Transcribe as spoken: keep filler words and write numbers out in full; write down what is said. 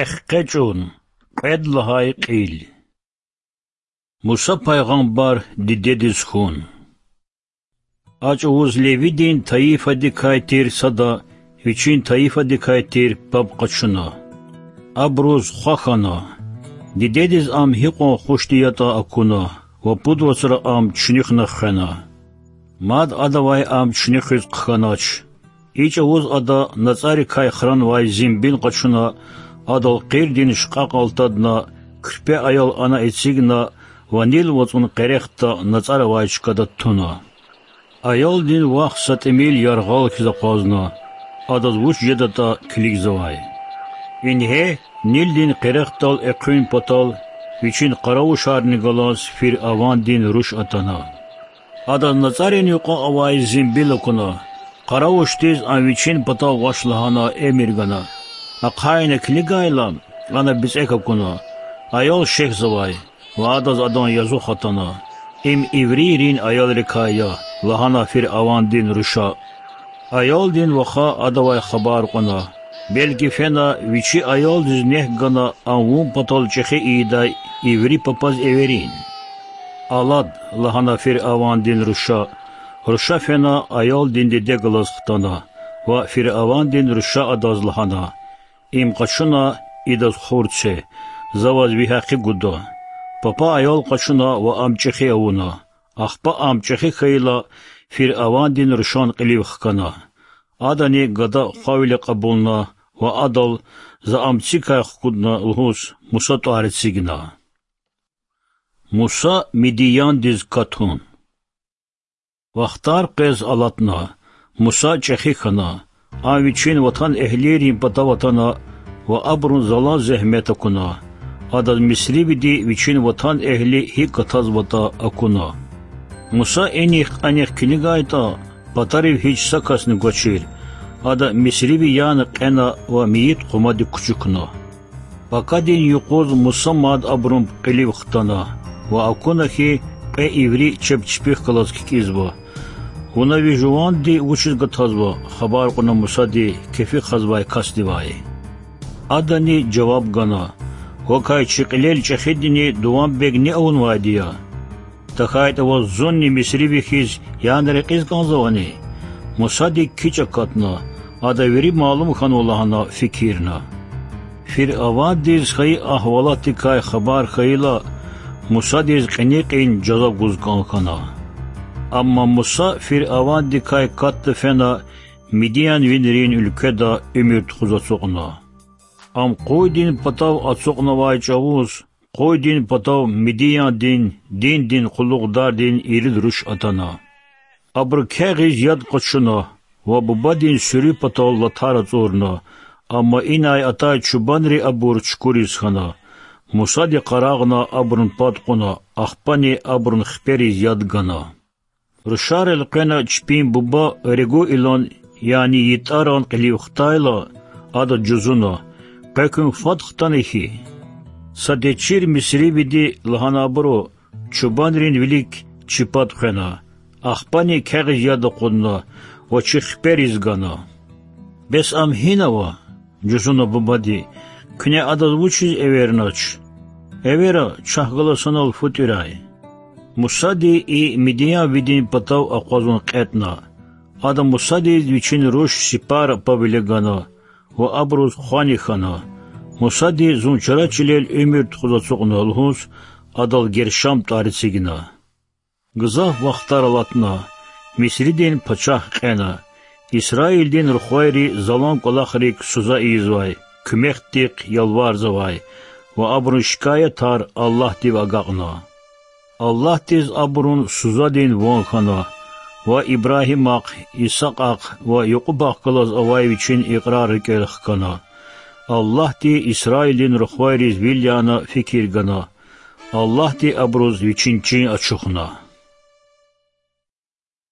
Эхкъечӏун. Кьвед лагьай кьил. Муса пайгъамбар дидедиз хьун. А чӏавуз Левидин тайифадикай тир сада вичин тайифадикай тир паб къачуна. Абуруз хва хьана. Дидедиз ам гьикьван хушди ятӏа акуна ва пуд вацра ам чуьнуьхна хвена. Мад адавай ам чуьнуьхиз хъхьанач. И чӏавуз ада нацӏарикай хранвай зимбил къачуна, адал къирдин шкьакьал тадна, куьрпе аял ана эцигна ва Нил вацӏун къерехда нацӏар авай чкада туна. Аялдин вах са тӏимил яргъал хьиз акъвазна, адаз вуч жедатӏа килигзавай. Ингье, Нилдин къерехдал экъуьн патал вичин къаравушарни галаз фиръавандин руш атана. Адаз нацӏарин юкьва авай зимбил акуна, къаравушдиз ам вичин патав гъваш лагьана эмир гана. Ахъайна килигайла, ана бицӏек акуна, аял шехьзавай ва адаз адан язух атана: Им иврийрин аялрикай я,— лагьана фиръавандин руша. Аялдин ваха адавай хабар кьуна, белки фена вичи аялдиз нек гана ам вун патал чӏехи ийидай иври папаз эверин. Алад,— лагьана фиръавандин руша. Руша фена аялдин диде галаз хтана ва фиръавандин руша адаз лагьана: Им къачуна, идаз хур це, за ваз ви гьакъи гуда. Папа аял къачуна ва ам чӏехи авуна. Ахпа ам чӏехи хьайила, фиръавандин рушан кьилив хкана. Адани гада хвавиле кьабулна ва адал, за ам цикай хкудна лугьуз, Муса тӏвар эцигна. Муса Мидияндиз катун. Вахтар къвез алатна, Муса чӏехи хьана. Ам вичин ватан-эгьлийрин патав атана ва абурун залан зегьмет акуна. Адаз мисривиди вичин ватан-эгьли гьикӏ гатазватӏа акуна. Муса инихъ-анихъ килигайтӏа, патарив гьич са касни гвачир. Ада мисриви яна кьена ва мейит хъумадик кучукна. Пакадин юкъуз Муса мад абурун кьилив хтана ва акуна хьи, кьве иври чеб чпихъ галаз кикӏизва. Вуна ви жуванди вучиз гатазва? хабар кьуна Мусади кефи хъвазвай касдивай. Адани жаваб гана: Вакай чи кьилел чӏехидини дуванбегни авунвайди я. ТахьайтӀа ваз зунни мисриви хьиз яна рекьиз кӀанзавани? Мусадик кичӀ акатна, ада вири малум хьанва лагьана фикирна. Фиръавандиз хайи агьвалатдикай хабар хьайила, Мусадиз кьиникьин жаза гуз кӀан хьана. Амма Муса фиръавандикай катда фена Мидиянвийрин уьлкведа уьмуьр тухуз ацукьна. Ам къуйдин патав ацукьнавай чӀавуз къуйдин патав Мидияндин диндин къуллугъдардин ирид руш атана. Абуру кягъиз яд къачуна ва бубадин суьруь патал латар ацӀурна, амма инай атай чубанри абур чукуриз хьана. Мусади къарагъна абурун пад кьуна, ахпани абурун хипериз яд гана. Рушар элкъвена чпин буба Регуилан, яни ЙитӀаран кьилив хтайла, ада жузуна: Къекуьн фад хтана хьи? Са течир мисривиди, лагьана абуру, чубанрин вилик чи пад хвена, ахпани кягъиз яд акъудна ва чи хипериз гана. Бес ам гьина ава? жузуна бубади. Куьне адаз вучиз эвернач? Эвера, чахъ галаз санал фу тӀуьрай. Мусади и мидиянвидин патав акъвазун кьетӀна. Ада Мусадиз вичин руш Сипара паб виле гана ва абуруз хвани хьана. Мусади зун чара чилел уьмуьр тухуз ацукьна лугьуз, адал Гершам тӀвар эцигна. Гзаф вахтар алатна, Мисридин пачагь кьена, Исраилдин рухвайри залан кӀвалахрик суза ийизвай, куьмекдихъ ялварзавай ва абурун шикаятар Аллагьдив агакьна. Аллагьдиз абурун сузадин ван хьана ва Ибрагьимахъ, Исакьахъ ва Якьубахъ галаз авай вичин икьрар рикӀел хкана. Аллагьди Исраилдин рухвайриз вил яна фикир гана. Аллагьди абуруз вичин чин ачухна.